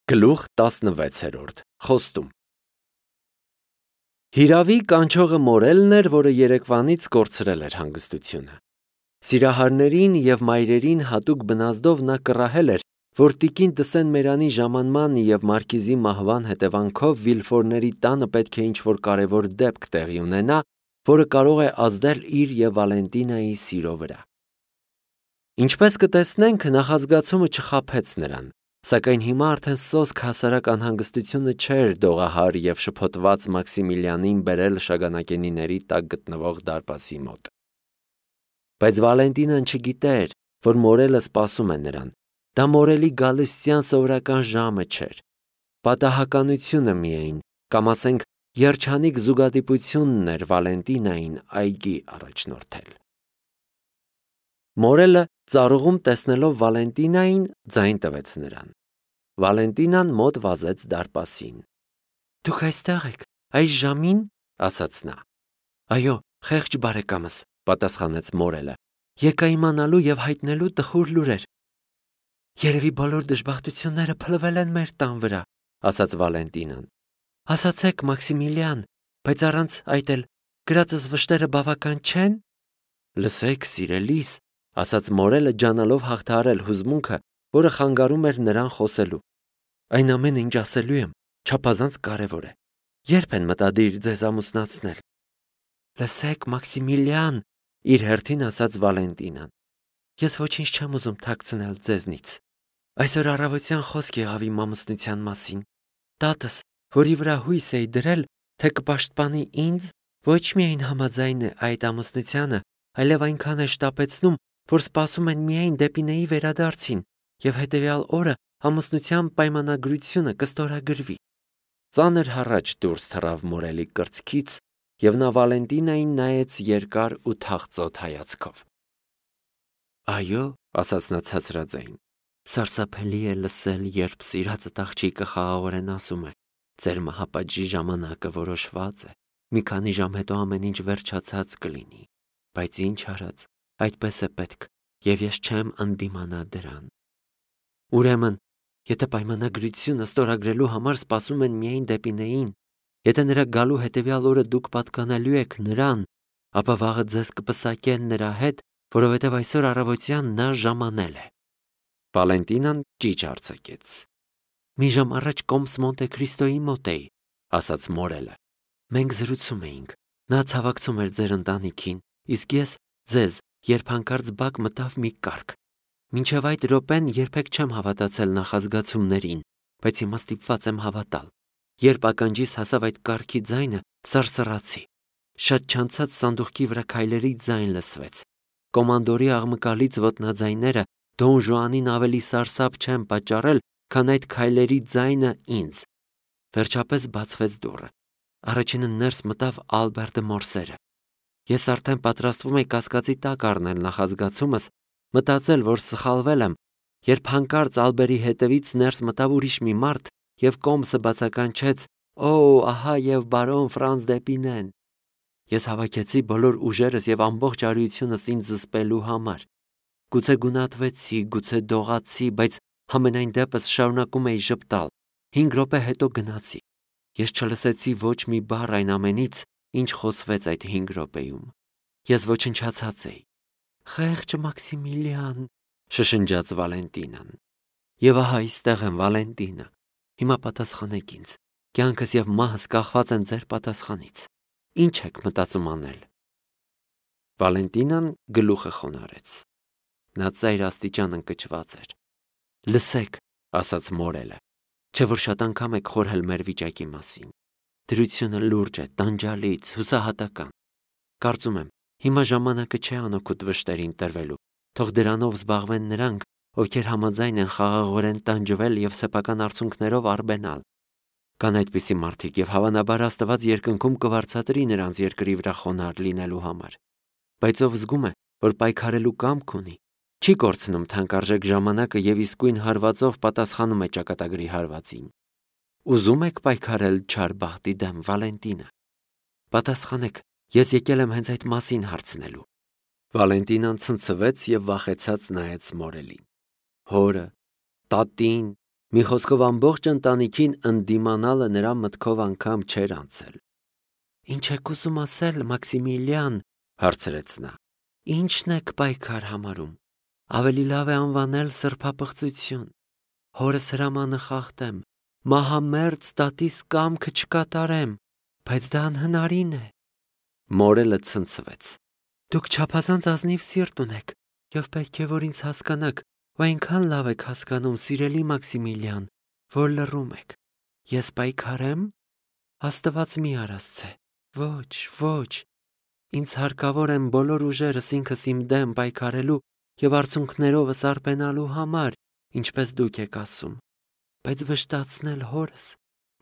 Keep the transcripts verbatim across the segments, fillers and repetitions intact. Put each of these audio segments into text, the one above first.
Գլուխ տասնվեցերորդ խոստում Հիրավի կանչողը Մորելն էր, որը երեկվանից կորցրել էր հանգստությունը։ Սիրահարներին և մայրերին հատուկ բնազդով նա կռահել էր, որ տիկին Տսեն Մերանի ժամանման և Մարքիզի մահվան հետևանքով Վիլֆորների տանը պետք է ինչ-որ կարևոր դեպք տեղի ունենա, որը կարող է ազդել իր և Վալենտինայի սիրո վրա։ Ինչպես կտեսնենք, նախազգացումը չխաբեց նրան, սակայն հիմա արդեն սոսկ հասարակ անհանգստությունը չէր դողահար և շփոթված Մաքսիմիլիանին բերել շագանակենիների տակ գտնվող դարպասի մոտ։ Բայց Վալենտինան չգիտեր, որ Մորելը սպասում է նրան, դա Մորելի գալստյան սովորական ժամը չէր, պատահականությունը միայն, կամ ասենք երջանիկ զուգադիպությունն էր Վալենտինային այգի առաջնորդել։ Մորելը ծառուղում տեսնելով Վալենտինային ձայն տվեց նրան։ Վալենտինան մոտ վազեց դարպասին։ «Դուք այստեղ եք, այս ժամին», ասաց նա։ «Այո, խեղճ բարեկամս», պատասխանեց Մորելը, «եկա իմանալու և հայտնելու տխուր լուրեր»։ «Երևի բոլոր դժբախտությունները փլվել են մեր տան վրա», ասաց Վալենտինան։ «Ասացեք, Մաքսիմիլիան, բայց առանց այդ էլ գրածս վշտերը բավական չե՞ն»։ «Լսեք, սիրելիս», ասաց Մորելը, ջանալով հաղթահարել հուզմունքը, որը խանգարում էր նրան խոսելու։ «Այն ամենը, ինչ ասելու եմ, չափազանց կարևոր է։ Ե՞րբ են մտադիր ձեզ ամուսնացնել»։ «Լսեք, Մաքսիմիլիան», իր հերթին ասաց Վալենտինան, «ես ոչինչ չեմ ուզում թաքցնել ձեզնից։ Այսօր առավոտյան խոսք եղավ իմ ամուսնության մասին։ Տատս, որի վրա հույս էի դրել, թե կպաշտպանի ինձ, ոչ միայն համաձայն է այդ ամուսնությանը, այլև այնքան է շտապեցնում, որ սպասում են միայն Դեպինեի վերադարձին, և հետևյալ օրը ամուսնության պայմանագրությունը կստորագրվի»։ Ծանր հառաչ դուրս թռավ Մորելի կրծքից, և նա Վալենտինային նայեց երկար ու թախծոտ հայացքով։ «Այո», ասաց նա ցածրաձայն, «սարսափելի է լսել, երբ սիրածդ աղջիկը խաղաղորեն ասում է. ձեր մահապատժի ժամանակը որոշված է, մի քանի ժամ հետո ամեն ինչ վերջացած կլինի, բայց ինչ արած, այդպես է պետք, և ես չեմ ընդդիմանա դրան։ Ուրեմն, եթե պայմանագրությունը ստորագրելու համար սպասում են միայն Դեպինեին, եթե նրա գալու հետևյալ օրը դուք պատկանելու եք նրան, ապա վաղը ձեզ կպսակեն նրա հետ, որովհետև այսօր առավոտյան նա ժամանել է»։ Վալենտինան ճիչ արձակեց։ «Մի ժամ առաջ Կոմս Մոնտե Քրիստոյի մոտ էի», ասաց Մորելը։ «Մենք զրուցում էինք, նա ցավակցում էր ձեր ընտանիքին, իսկ ես ձեզ, երբ հանկարծ բակ մտավ մի կառք։ Մինչև այդ րոպեն երբեք չեմ հավատացել նախազգացումներին, բայց հիմա ստիպված եմ հավատալ։ Երբ ականջիս հասավ այդ կառքի ձայնը, սարսռացի։ Շատ չանցած սանդուղքի վրա քայլերի ձայն լսվեց։ Կոմանդորի աղմկալից ոտնաձայները Դոն Ժուանին ավելի սարսափ չեն պատճառել, քան այդ քայլերի ձայնը ինձ։ Վերջապես բացվեց դուռը։ Առաջինը ներս մտավ Ալբերտը Մորսերը։ Ես արդեն պատրաստվում էի կասկածի տակ առնել նախազգացումս, մտածել, որ սխալվել եմ, երբ հանկարծ Ալբերի հետևից ներս մտավ ուրիշ մի մարդ և Կոմսը բացականչեց. «Օ, ահա և բարոն Ֆրանց Դեպինեն»։ Ես հավաքեցի բոլոր ուժերս և ամբողջ արիությունս ինձ զսպելու համար։ Գուցե գունատվեցի, գուցե դողացի, բայց համենայն դեպս շարունակում էի ժպտալ։ Հինգ րոպե հետո գնացի։ Ես չլսեցի ոչ մի բառ այն ամենից, ինչ խոսվեց այդ հինգ րոպեում։ Ես ոչնչացած էի։ «Խեղճ Մաքսիմիլիան», շշնջաց Վալենտինան։ «Եվ ահա այստեղ եմ, Վալենտինա։ Հիմա պատասխանեք ինձ։ Կյանքս և մահս կախված են ձեր պատասխանից։ Ինչ եք մտածում անել»։ Վալենտինան գլուխը խոնարհեց։ Նա ծայր աստիճան ընկճված էր։ «Լսեք», ասաց Մորելը, «չէ՞ որ շատ անգամ եք խորհել մեր վիճակի մասին։ Դրությունը լուրջ է, տանջալից, հուսահատական։ Կարծում եմ, հիմա ժամանակը չէ անօգուտ վշտերին տրվելու, թող դրանով զբաղվեն նրանք, ովքեր համաձայն են խաղաղորեն տանջվել և սեփական արդյունքներով արբենալ։ Կան այդպիսի մարդիկ, և հավանաբար Աստված երկնքում կվարձատրի նրանց երկրի վրա խոնարհ լինելու համար։ Բայց ով զգում է, որ պայքարելու կամք ունի, չի կորցնում թանկարժեք ժամանակը և իսկույն հարվածով պատասխանում է ճակատագրի հարվածին։ Ուզում եք պայքարել չար բախտի դեմ, Վալենտինա։ Պատասխանեք, ես եկել եմ հենց այդ մասին հարցնելու։ Վալենտինան ցնցվեց և վախեցած նայեց Մորելին։ Հորը, տատին, Մի խոսքով ամբողջ ընտանիքին ընդդիմանալը նրա մտքով անգամ չէր անցել։ Ինչ եք ուզում ասել, Մաքսիմիլիան, հարցրեց նա։ Ինչն եք պայքար համարում։ Ավելի լավ է անվանել սրբապղծություն։ Հորս հրամանը խախտեմ, մահամերձ տատիս կամքը չկատարեմ, բայց դա անհնարին է։ Մորելը ցնցվեց։ Դուք չափազանց ազնիվ սիրտ ունեք, եւ պետք է որ ինձ հասկանաք, ու այնքան լավ եք հասկանում, սիրելի Մաքսիմիլիան, որ լռում եք։ Ես պայքարեմ։ Աստված մի արածցե։ Ոչ, ոչ։ Ինձ հարկավոր եմ բոլոր ուժերս ինքս իմ դեմ պայքարելու եւ արցունքներովս արբենալու համար, ինչպես դուք եք ասում, բայց վշտացնել հորս,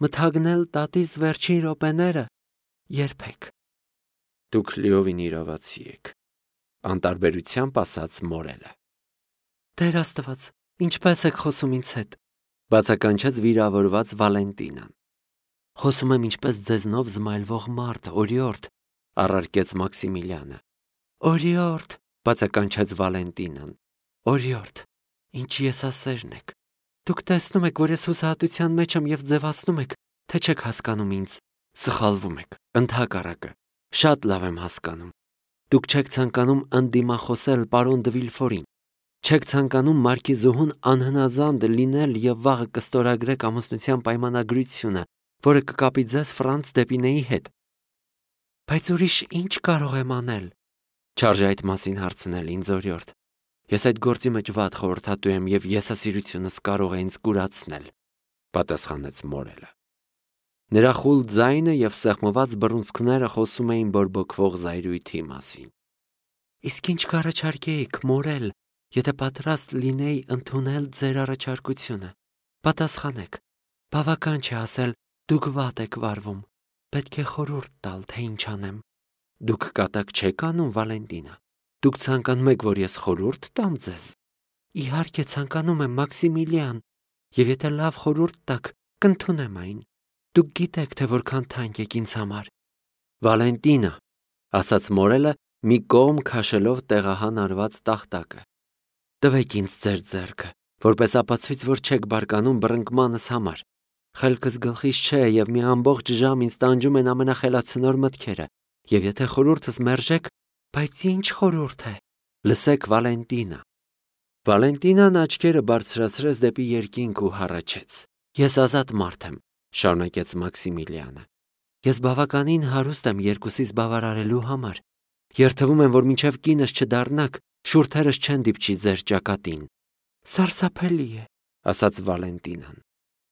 մթագնել տատիս վերջին րոպեները, երբեք։ Դուք լիովին իրավացի եք, անտարբերությամբ ասաց Մորելը։ Տեր Աստված, ինչպես եք խոսում ինձ հետ, բացականչեց վիրավորված Վալենտինան։ Խոսում եմ ինչպես ձեզնով զմայլվող մարդ, օրիորդ, առարկեց Մաքսիմիլիանը։ Օրիորդ, բացականչեց Վալենտինան։ Օրիորդ, ինչ եսասերն եք։ Դուք տեսնում եք, որ ես հուսահատության մեջ եմ եւ ձևացնում եք, թե չեք հասկանում ինձ։ Սխալվում եք, ընդհակառակը, շատ լավ եմ հասկանում։ Դուք չեք ցանկանում ընդդիմախոսել պարոն դը Վիլֆորին։ Չեք ցանկանում մարքիզուհուն անհնազանդ լինել եւ վաղը կստորագրեք ամուսնության պայմանագրությունը, որը կկապի ձեզ Ֆրանց Դեպինեի հետ։ Բայց ուրիշ ինչ կարող եմ անել։ Չարժե այդ մասին հարցնել ինձ, օրիորդ։ Ես այդ գործի մեջ վատ խորհրդատու եմ եւ եսասիրությունս կարող է ինձ կուրացնել, պատասխանեց Մորելը։ Նրա խուլ ձայնը եւ սեղմված բռունցքները խոսում էին բորբոքվող զայրույթի մասին։ Իսկ ինչ կառաջարկեիք, Մորել, եթե պատրաստ լինեի ընդունել ձեր առաջարկությունը։ Պատասխանեք։ Բավական չէ ասել, դուք վատ եք վարվում։ Պետք է խորհուրդ տալ, թե ինչ անեմ։ Դուք կատակ չեք անում, Վալենտինա։ Դուք ցանկանում եք, որ ես խորհուրդ տամ ձեզ։ Իհարկե ցանկանում եմ, Մաքսիմիլիան, եւ եթե լավ խորհուրդ տաք, կընդունեմ այն։ Դուք գիտեք, թե որքան թանկ եք ինձ համար։ Վալենտինա, ասաց Մորելը, մի կողմ քաշելով տեղահան արված տախտակը։ Տվեք ինձ ձեր ձեռքը, որպես ապացույց, որ չեք բարկանում բռնկմանս համար։ Խելքս գլխիս չէ եւ մի ամբողջ ժամ ինձ տանջում են ամենախելացնոր մտքերը։ Եվ եթե խորհուրդս մերժեք, բայց ինչ խորհուրդ է։ Լսեք, Վալենտինա։ Վալենտինան աչքերը բարձրացրեց դեպի երկինք ու հառաչեց։ Ես ազատ մարդ եմ, շարունակեց Մաքսիմիլիանը։ Ես բավականին հարուստ եմ երկուսիս բավարարելու համար։ Երթվում եմ, որ մինչև կինս չդառնաք, շուրթերս չեն դիպչի ձեր ճակատին։ Սարսափելի է, ասաց Վալենտինան։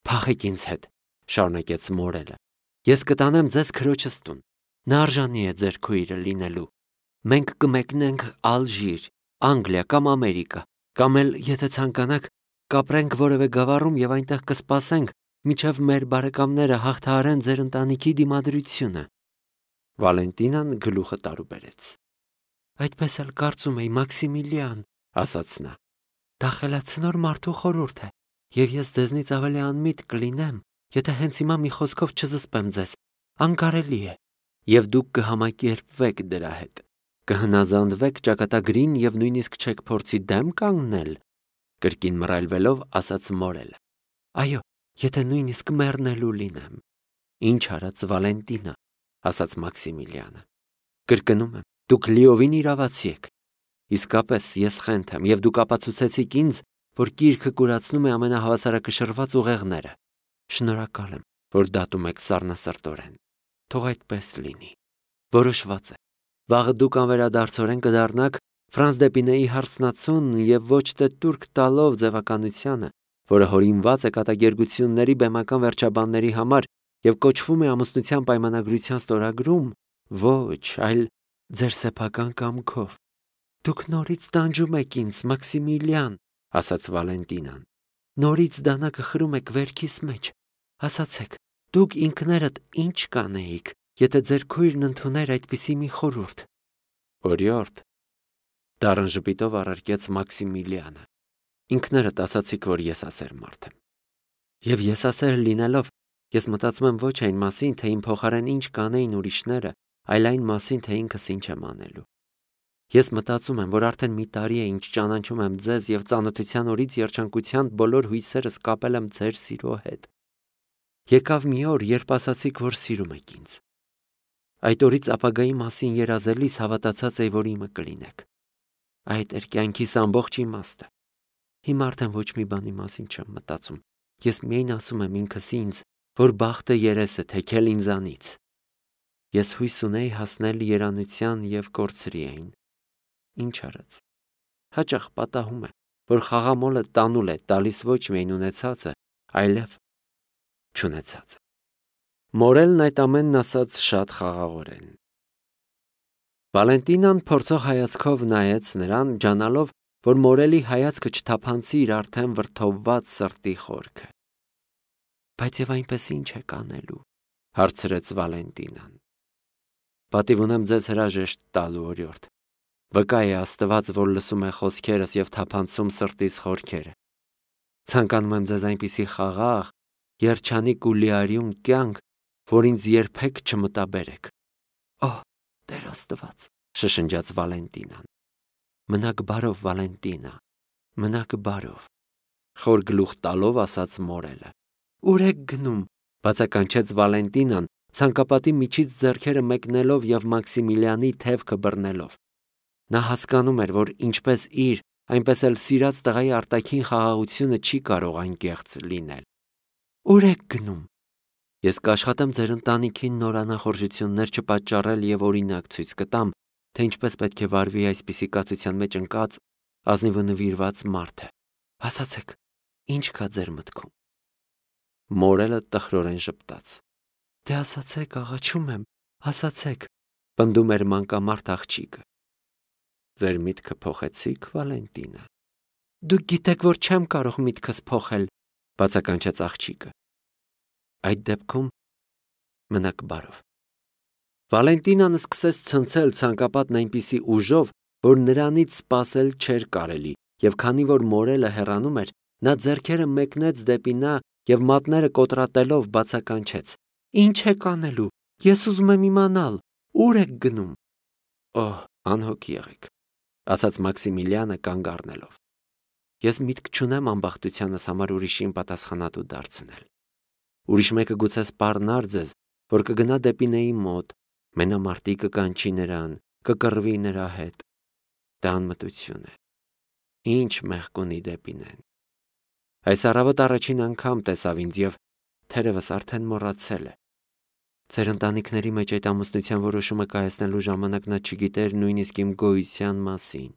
Փախեք ինձ հետ, շարունակեց Մորելը։ Ես կտանեմ ձեզ քրոջս տուն։ Նա արժանի է ձեր քույրը լինելու։ Մենք կմեկնենք Ալժիր, Անգլիա կամ Ամերիկա, կամ էլ, եթե ցանկանաք, կապրենք որևէ գավառում եւ այնտեղ կսպասենք, մինչև մեր բարեկամները հաղթահարեն ձեր ընտանիքի դիմադրությունը։ Վալենտինան գլուխը տարուբերեց։ Այդպես էլ կարծում էի, Մաքսիմիլիան, ասաց նա։ Դա խելացնոր մարդու խորհուրդ է, եւ ես ձեզնից ավելի անմիտ կլինեմ, եթե հենց հիմա մի խոսքով չզսպեմ ձեզ։ Անկարելի է, եւ դուք կհամակերպվեք դրա հետ։ Կհնազանդվեք ճակատագրին եւ նույնիսկ չեք փորձի դեմ կանգնել, կրկին մռայլվելով ասաց Մորելը։ Այո, եթե նույնիսկ մեռնելու լինեմ։ Ինչ արած Վալենտինա, ասաց Մաքսիմիլիանը։ Կրկնում եմ, դուք լիովին իրավացի եք։ Իսկապես ես խենթ եմ եւ դուք ապացուցեցիք ինձ, որ գիրքը կուրացնում է ամենահավասարակշռված ուղեղները։ Շնորհակալ եմ, որ դատում եք սառնասրտորեն։ Թող այդպես լինի։ Որոշված է։ Վաղը դուք անվերադարձորեն կդառնաք Ֆրանց Դեպինեի հարսնացուն եւ ոչ թե տուրք տալով ձևականությանը, որը հորինված է կատակերգությունների բեմական վերջաբանների համար եւ կոչվում է ամուսնության պայմանագրության ստորագրում, ոչ, այլ ձեր սեփական կամքով։ Դուք նորից տանջում եք ինձ, Մաքսիմիլիան, ասաց Վալենտինան։ Նորից դանակը խրում եք վերքիս մեջ։ Ասացեք, դուք ինքներդ ինչ կանեիք, եթե ձեր քույրն ընդուներ այդպիսի մի խորհուրդ։ Օրիորդ, դառն ժպիտով առարկեց Մաքսիմիլիանը։ Ինքներդ ասացիք, որ եսասեր մարդ եմ։ Եվ եսասեր լինելով, ես մտածում եմ ոչ այն մասին, թե իմ փոխարեն ինչ կանեին ուրիշները, այլ այն մասին, թե ինքս ինչ եմ անելու։ Ես մտածում եմ, որ արդեն մի տարի է ինչ ճանաչում եմ ձեզ եւ ծանոթության օրից երջանկության բոլոր հույսերս կապել եմ ձեր սիրո հետ։ Եկավ մի օր, երբ ասացիք, որ սիրում եք ինձ։ Այդ օրից ապագայի մասին երազելիս հավատացած էի, որ իմը կլինեք։ Այդ էր կյանքիս ամբողջ իմաստը։ Հիմա արդեն ոչ մի բանի մասին չեմ մտածում։ Ես միայն ասում եմ ինքս ինձ, որ բախտը երես է թեքել ինձանից։ Ես հույս ունեի հասնել երանության եւ կորցրի այն։ Ինչ արած։ Հաճախ պատահում է, որ խաղամոլը տանուլ է տալիս ոչ միայն ունեցածը, այլև չունեցածը։ Մորելն այդ ամենն ասաց շատ խաղաղորեն։ Վալենտինան փորձող հայացքով նայեց նրան, ջանալով, որ մորելի հայացքը չթափանցի իր արդեն վրդովված սրտի խորքը։ Բայց եւ այնպես ինչ է կանելու, հարցրեց Վալենտինան։ Պատիվ ունեմ ձեզ հրաժեշտ տալու օրիորդ։ Վկա է Աստված, որ լսում է խոսքերս եւ թափանցում սրտիս խորքերը։ Ցանկանում եմ ձեզ այնպիսի խաղաղ, երջանիկ ու լիարյուն կյանք, որ ինձ երբեք չմտաբերեք։ Օհ, Տեր Աստված, շշնջաց Վալենտինան։ Մնաք բարով, Վալենտինա, մնաք բարով, խոր գլուխ տալով ասաց մորելը։ Ուր եք գնում, բացականչեց Վալենտինան, ցանկապատի միջից ձեռքերը մեկնելով եւ Մաքսիմիլիանի թևքը բռնելով։ Նա հասկանում էր, որ ինչպես իր, այնպես էլ սիրած տղայի արտաքին խաղաղությունը չի կարող անկեղծ լինել։ Ուր եք գնում։ Ես կաշխատեմ ձեր ընտանիքին նոր անախորժություններ չպատճառել եւ օրինակ ցույց կտամ, թե ինչպես պետք է վարվի այսպիսի կացության մեջ ընկած ազնիվ ու նվիրված մարդը։ Ասացեք, ինչ կա ձեր մտքում։ Մորելը տխրորեն ժպտաց։ Դե ասացեք, աղաչում եմ, ասացեք, պնդում էր մանկամարդ աղջիկը։ Ձեր միտքը փոխեցիք, Վալենտինա։ Դուք գիտեք, որ չեմ կարող միտքս փոխել, բացականչեց աղջիկը։ Այդ դեպքում մնաք բարով։ Վալենտինան սկսեց ցնցել ցանկապատն այնպիսի ուժով, որ նրանից սпасել չէր կարելի, եւ քանի որ մորելը հեռանում էր, նա ձեռքերը մեկնեց դեպի նա եւ մատները կոտրատելով բացականչեց. Ինչ եք անելու։ Ես ուզում եմ իմանալ, ուր եք գնում։ Օհ, անհոգ եղեք, ասաց Մաքսիմիլիանը կանգ առնելով։ Ես միտք չունեմ ամբախտությանս համար ուրիշին պատասխանատու դարձնել։ Ուրիշ մեկը գուցե սպառնար ձեզ, որ կգնա դեպի նեի մոտ, մենամարտի կկանչի նրան, կկռվի նրա հետ։ Դա անմտություն է։ Ինչ մեղք ունի դեպի նեն։ Այս առավոտ առաջին անգամ տեսավ ինձ եւ թերևս արդեն մոռացել է։ Ձեր ընտանիքների մեջ այդ ամուսնության որոշումը կայացնելու ժամանակ նա չգիտեր նույնիսկ իմ գոյության մասին։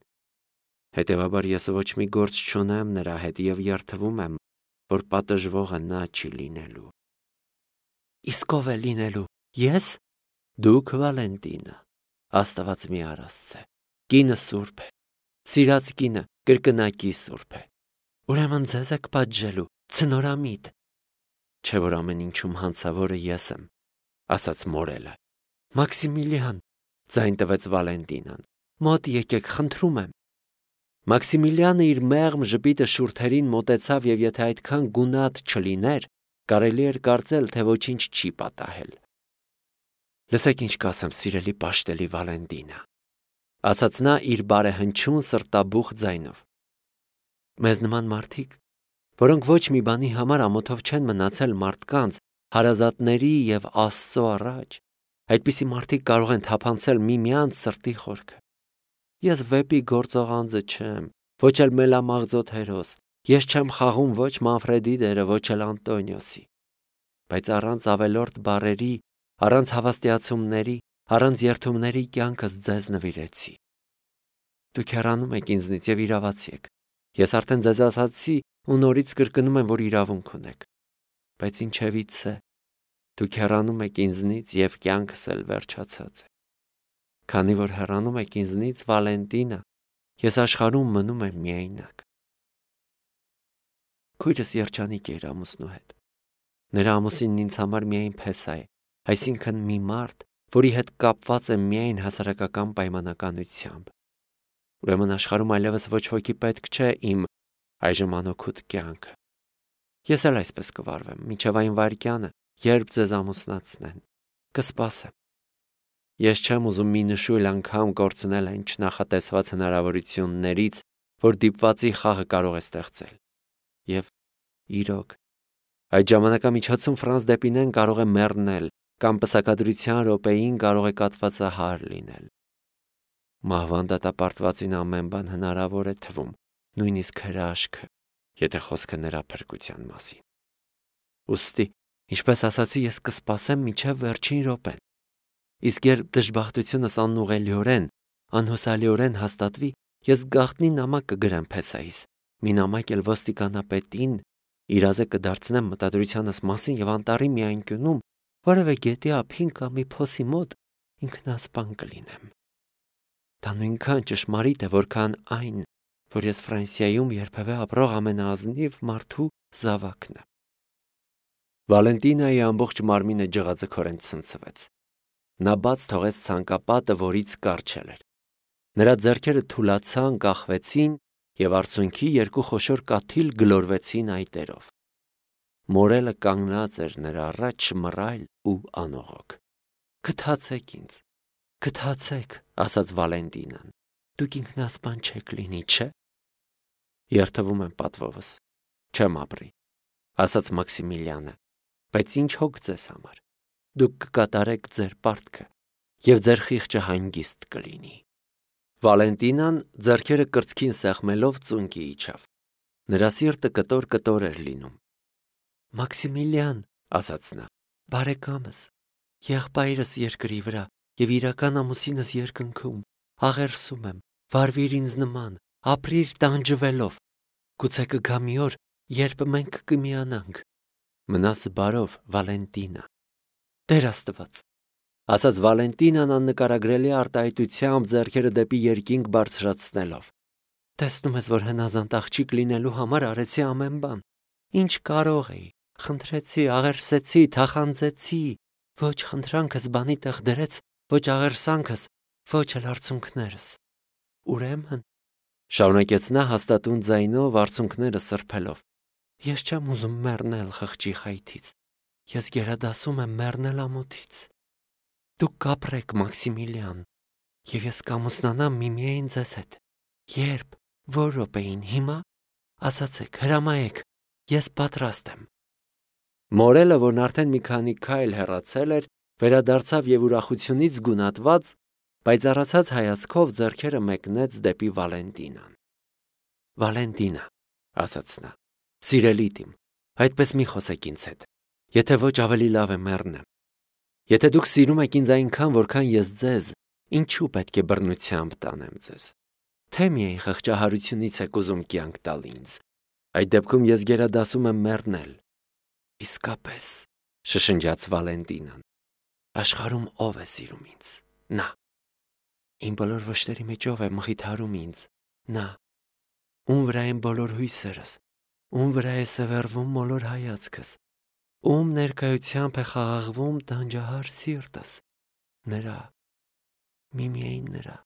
Հետևաբար ես ոչ մի գործ չունեմ նրա հետ եւ երդվում եմ, որ պատժվողը նա չի լինելու։ Իսկ ով է լինելու։ Ես։ Դուք, Վալենտինա, Աստված մի արասցե։ Կինը սուրբ է։ Սիրած կինը կրկնակի սուրբ է։ Ուրեմն ձեզ եք պատժելու, ցնորամիտ։ Չէ որ ամեն ինչում հանցավորը ես եմ, ասաց մորելը։ Մաքսիմիլիան, ձայն տվեց Վալենտինան, մոտ եկեք, խնդրում եմ։ Մաքսիմիլիանը իր մեղմ ժպիտը շուրթերին մոտեցավ եւ եթե այդքան գունատ չլիներ, կարելի էր կարծել, թե ոչինչ չի պատահել։ Լսեք ինչ կասեմ, սիրելի պաշտելի Վալենտինա, ասաց նա իր բարեհնչյուն սրտաբուխ ձայնով։ Մեզ նման մարդիկ, որոնք ոչ մի բանի համար ամոթով չեն մնացել մարդկանց, հարազատների եւ Աստծո առաջ, այդպիսի մարդիկ կարող են թափանցել միմյանց սրտի խորքը։ Ես վեպի գործող անձը չեմ, ոչ էլ մելամաղձոտ հերոս, ես չեմ խաղում ոչ Մանֆրեդի դերը, ոչ էլ Անտոնիոսի։ Բայց առանց ավելորդ բառերի, առանց հավաստիացումների, առանց երդումների կյանքս ձեզ նվիրեցի։ Դուք հեռանում եք ինձնից եւ իրավացի եք։ Ես արդեն ձեզ ասացի ու նորից կրկնում եմ, որ իրավունք ունեք։ Բայց ինչևիցե, դուք հեռանում եք ինձնից եւ կյանքս էլ վերջացած է։ Քանի որ հեռանում եք ինձնից, Վալենտինա, ես աշխարհում մնում եմ միայնակ։ Քույրս երջանիկ է իր ամուսնու հետ։ Նրա ամուսինն ինձ համար միայն փեսա է, այսինքն մի մարդ, որի հետ կապված եմ միայն հասարակական պայմանականությամբ։ Ուրեմն աշխարհում այլևս ոչ ոքի պետք չէ իմ այժմ անօգուտ կյանքը։ Ես էլ այսպես կվարվեմ, մինչև այն վայրկյանը, երբ ձեզ ամուսնացնեն, կսպասեմ։ Ես չեմ ուզում մի նշույլ անգամ կորցնել այն չնախատեսված հնարավորություններից, որ դիպվածի խաղը կարող է ստեղծել։ Եվ իրոք, այդ ժամանակամիջոցում Ֆրանս Դեպինեն կարող է մեռնել կամ պսակադրության րոպեին կարող է կաթվածահար լինել։ Մահվան դատապարտվածին ամեն բան հնարավոր է թվում, նույնիսկ հրաշքը, եթե խոսքը նրա փրկության մասին։ Ուստի, ինչպես ասացի, ես կսպասեմ մինչև վերջին րոպեն։ Իսկ երբ դժբախտությունս անուղղելիորեն, անհուսալիորեն հաստատվի, ես գաղտնի նամակ կգրեմ Փեսայիս, մի նամակ էլ ոստիկանապետին, իրազե կդարձնեմ մտադրությանս մասին եւ անտառի մի անկյունում, որևէ գետի ափին կամ մի փոսի մոտ ինքնասպան կլինեմ։ Դա նույնքան ճշմարիտ է, որքան այն, որ ես Ֆրանսիայում երբևէ ապրող ամենաազնիվ մարդու զավակն եմ։ Վալենտինայի ամբողջ մարմինը ջղաձգորեն ցնցվեց։ Նա բաց թողեց ցանկապատը, որից կարճել էր։ Նրա ձեռքերը թուլացան, կախվեցին եւ արցունքի երկու խոշոր կաթիլ գլորվեցին այտերով։ Մորելը կանգնած էր նրա առաջ մռայլ ու անողոք։ Գթացեք ինձ, գթացեք, ասաց Վալենտինան։ Դուք ինքնասպան չեք լինի, չէ՞։ Երթվում եմ պատվովս, չեմ ապրի, ասաց Մաքսիմիլյանը, բայց ինչ հոգ ձեզ համար։ Դուք կկատարեք ձեր պարտքը եւ ձեր խիղճը հանգիստ կլինի։ Վալենտինան ձեռքերը կրծքին սեղմելով ծունկի իջավ։ Նրա սիրտը կտոր-կտոր էր լինում։ Մաքսիմիլյան, ասաց նա, բարեկամս, եղբայրս երկրի վրա եւ իրական ամուսինս երկնքում, աղերսում եմ, վարվիր ինձ նման, ապրիր տանջվելով։ Գուցե կգա մի օր, երբ մենք կմիանանք։ Մնաս բարով, Վալենտինա։ Տեր Աստված, ասաց Վալենտինան աննկարագրելի արտահայտությամբ ձեռքերը դեպի երկինք բարձրացնելով։ Տեսնում ես, որ հնազանդ աղջիկ լինելու համար արեցի ամեն բան։ Ինչ կարող էի, խնդրեցի, աղերսեցի, թախանձեցի, ոչ խնդրանքս բանի տեղ դրեց, ոչ աղերսանքս, ոչ էլ արցունքներս։ Ուրեմն, շարունակեց նա հաստատուն ձայնով արցունքները սրբելով, ես չեմ ուզում մեռնել խղճի խայթից, ես գերադասում եմ մեռնել ամոթից։ Դուք կապրեք, Մաքսիմիլյան, եւ ես կամուսնանամ միմիայն ձեզ հետ։ Երբ, որ րոպեին, հիմա, ասացեք, հրամայեք, ես պատրաստ եմ։ Մորելը, որն արդեն մի քանի քայլ հեռացել էր, վերադարձավ եւ ուրախությունից զգունատված, բայց առացած հայացքով ձեռքերը մեկնեց դեպի Վալենտինան։ Վալենտինա, ասաց նա, սիրելի իմ, այդպես մի խոսեք ինձ հետ, եթե ոչ ավելի լավ է մեռնեմ։ Եթե դուք սիրում եք ինձ այնքան, որքան ես ձեզ, ինչու պետք է բռնությամբ տանեմ ձեզ։ Թե միայն խղճահարությունից եք ուզում կյանք տալ ինձ։ Այդ դեպքում ես գերադասում եմ մեռնել։ Իսկապես, շշնջաց Վալենտինան, աշխարհում ով է սիրում ինձ։ Նա։ Իմ բոլոր վշտերի մեջով է մխիթարում ինձ։ Նա։ Ում վրա են բոլոր հույսերս, ում վրա է սևեռվում մոլոր հայացքս, ում ներկայությամբ է խաղաղվում տանջահար սիրտս։ Նրա։ Միմիայն նրա։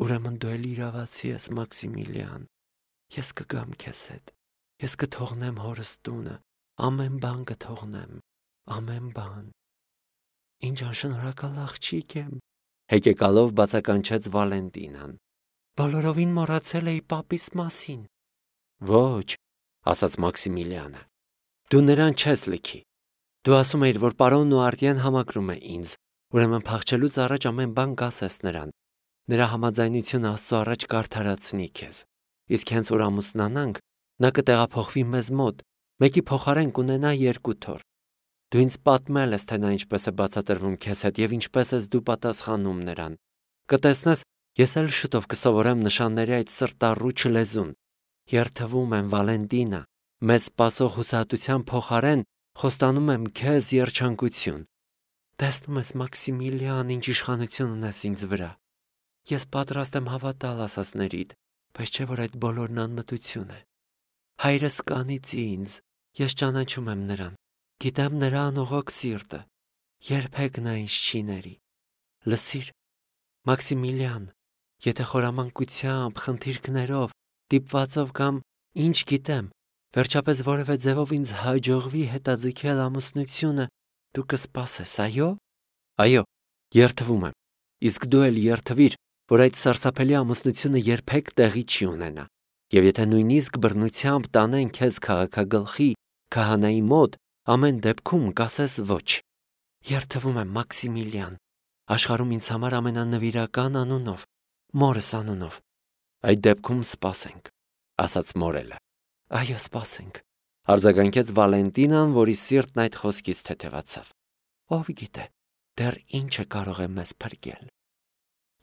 Ուրեմն դու էլ իրավացի ես, Մաքսիմիլյան, ես կգամ քեզ հետ, ես կթողնեմ հորս տունը, ամեն բան կթողնեմ, ամեն բան։ Ինչ անշնորհակալ աղջիկ եմ, հեկեկալով բացականչեց Վալենտինան։ Բոլորովին մոռացել էի պապիս մասին։ Ոչ, ասաց Մաքսիմիլյանը, դու նրան չես լքի։ Դու ասում էիր, որ պարոնն ու արտիան համակրում է ինձ, ուրեմն փախչելուց առաջ ամեն բան կասես նրան։ Նրա համաձայնությունը Աստծո առաջ կարդարացնի քեզ։ Իսկ հենց որ ամուսնանանք, նա կտեղափոխվի մեզ մոտ, մեկի փոխարեն կունենա երկու թոռ։ Դու ինձ պատմել ես, թե նա ինչպես է բացատրվում քեզ հետ եւ ինչպես ես դու պատասխանում նրան։ Կտեսնես, ես էլ շուտով կսովորեմ նշանների այդ սրտառուչ լեզուն։ Երթվում եմ, Վալենտինա, մեզ սպասող հուսահատության փոխարեն խոստանում եմ քեզ երջանկություն։ Տեսնում ես, Մաքսիմիլյան, ինչ իշխանություն ունես ինձ վրա։ Ես պատրաստ եմ հավատալ ասածներիդ, բայց չէ որ այդ բոլորն անմտություն է։ Հայրս կանից ինձ, ես ճանաչում եմ նրան, գիտեմ նրա անողոք սիրտը, երբեք նա ինձ չի ների։ Լսիր, Մաքսիմիլյան, եթե խորամանկությամբ, խնդիրքներով, դիպվածով կամ ինչ գիտեմ, վերջապես որևէ ձևով ինձ հաջողվի հետաձգել ամուսնությունը, դու կսպասես, այո։ Այո, Երթվում եմ, իսկ դու էլ երթվիր, որ այդ սարսափելի ամուսնությունը երբեք տեղի չի ունենա, եւ եթե նույնիսկ բռնությամբ տանեն քեզ քաղաքագլխի քահանայի մոտ, ամեն դեպքում կասես ոչ։ Երթվում եմ, Մաքսիմիլիան, աշխարհում ինձ համար ամենանվիրական անունով, մորս անունով։ Այդ դեպքում սպասենք, ասաց մորելը։ Այո, սպասենք, արձագանքեց Վալենտինան, որի սիրտն այդ խոսքից թեթևացավ։ Ով գիտե, դեռ ինչը կարող է մեզ փրկել։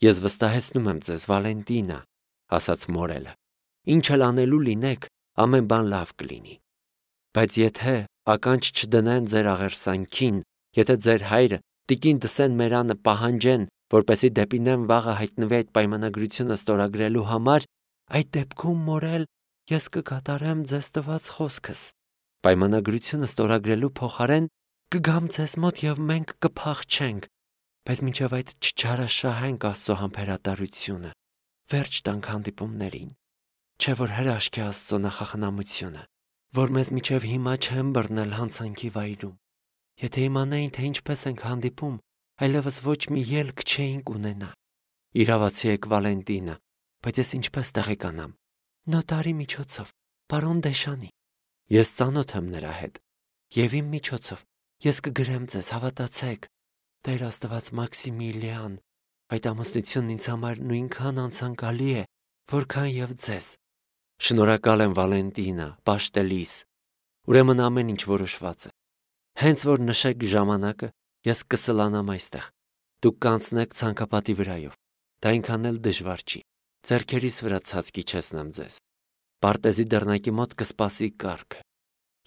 Ես վստահեցնում եմ ձեզ, Վալենտինա, ասաց մորելը, ինչ էլ անելու լինեք, ամեն բան լավ կլինի։ Բայց եթե ականջ չդնեն ձեր աղերսանքին, եթե ձեր հայրը տիկին Դսեն Մերանը պահանջեն, որպեսզի դեպինեմ վաղը հայտնվի այդ պայմանագրությունը ստորագրելու համար, այդ դեպքում մորել ես կկատարեմ ձեզ տված խոսքս։ Պայմանագրությունը ստորագրելու փոխարեն կգամ ձեզ մոտ եւ մենք կփախչենք, բայց մինչև այդ չչարաշահենք Աստծո համբերատարությունը, վերջ տանք հանդիպումներին, չէ որ հրաշք է Աստծո նախախնամությունը, որ մեզ մինչև հիմա չեն բռնել հանցանքի վայրում։ Եթե իմանային, թե ինչպես ենք հանդիպում, այլևս ոչ մի ելք չէինք ունենա։ Իրավացի եք, Վալենտինա, բայց ես ինչպես տեղեկանամ։ Նոտարի միջոցով, պարոն Դեշանի։ Ես ծանոթ եմ նրա հետ, եւ իմ միջոցով ես կգրեմ ձեզ, հավատացեք։ Տեր Աստված, Մաքսիմիլիան, այդ ամուսնությունն ինձ համար նույնքան անցանկալի է, որքան եւ ձեզ։ Շնորհակալ եմ, Վալենտինա, պաշտելիս։ Ուրեմն ամեն ինչ որոշված է։ Հենց որ նշեք ժամանակը, ես կսլանամ այստեղ։ Դուք կանցնեք ցանկապատի վրայով։ Դա այնքան էլ դժվար չի։ Ձեռքերիս վրա ցած կիջեցնեմ ձեզ։ Պարտեզի դռնակի մոտ կսպասի կառքը։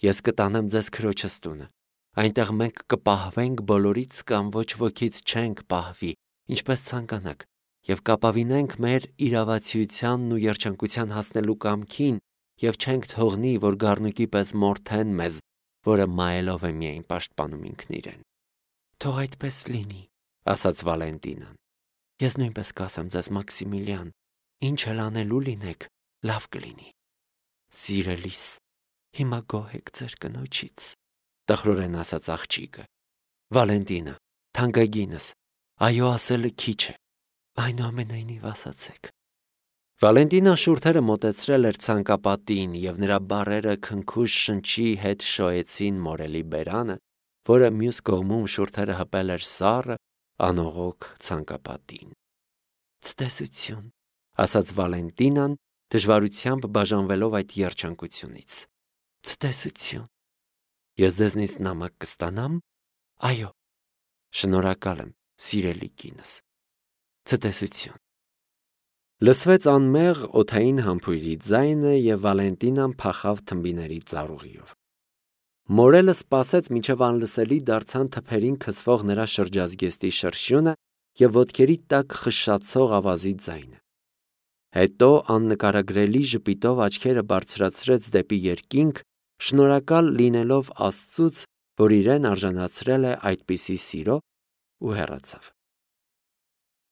Ես կտանեմ ձեզ քրոջս տունը։ Այնտեղ մենք կպահվենք բոլորից կամ ոչ ոքից չենք պահվի, ինչպես ցանկանաք, եւ կապավինենք մեր իրավացիությանն ու երջանկության հասնելու կամքին եւ չենք թողնի, որ գառնուկի պես մորթեն մեզ, որը մայելով է միայն պաշտպանում ինքն իրեն։ Թող այդպես լինի, ասաց Վալենտինան։ Ես նույնպես կասեմ ձեզ, Մաքսիմիլիան, ինչ էլ անելու լինեք, լավ կլինի։ Սիրելիս, հիմա գոհ եք ձեր կնոջից, տխրորեն ասաց աղջիկը։ Վալենտինա, թանկագինս, այո ասելը քիչ է, այնուամենայնիվ ասացեք։ Վալենտինան շուրթերը մոտեցրել էր ցանկապատին եւ նրա բառերը քնքուշ շնչի հետ շոյեցին մորելի բերանը, որը մյուս կողմում շուրթերը հպել էր սառը, անողոք ցանկապատին։ Ցտեսություն, ասաց Վալենտինան, դժվարությամբ բաժանվելով այդ երջանկությունից։ Ցտեսություն։ Ես ձեզնից նամակ կստանամ։ Այո։ Շնորհակալ եմ, սիրելի կինս։ Ցտեսություն։ Լսվեց անմեղ օդային համբույրի ձայնը եւ Վալենտինան փախավ թմբիների ծառուղիով։ Մորելը սպասեց, մինչև անլսելի դարձան թփերին քսվող նրա շրջազգեստի շրշյունը եւ ոտքերի տակ խշշացող ավազի ձայնը։ Հետո աննկարագրելի ժպիտով աչքերը բարձրացրեց դեպի երկինք, շնորհակալ լինելով Աստծուց, որ իրեն արժանացրել է այդպիսի սիրո, ու հեռացավ։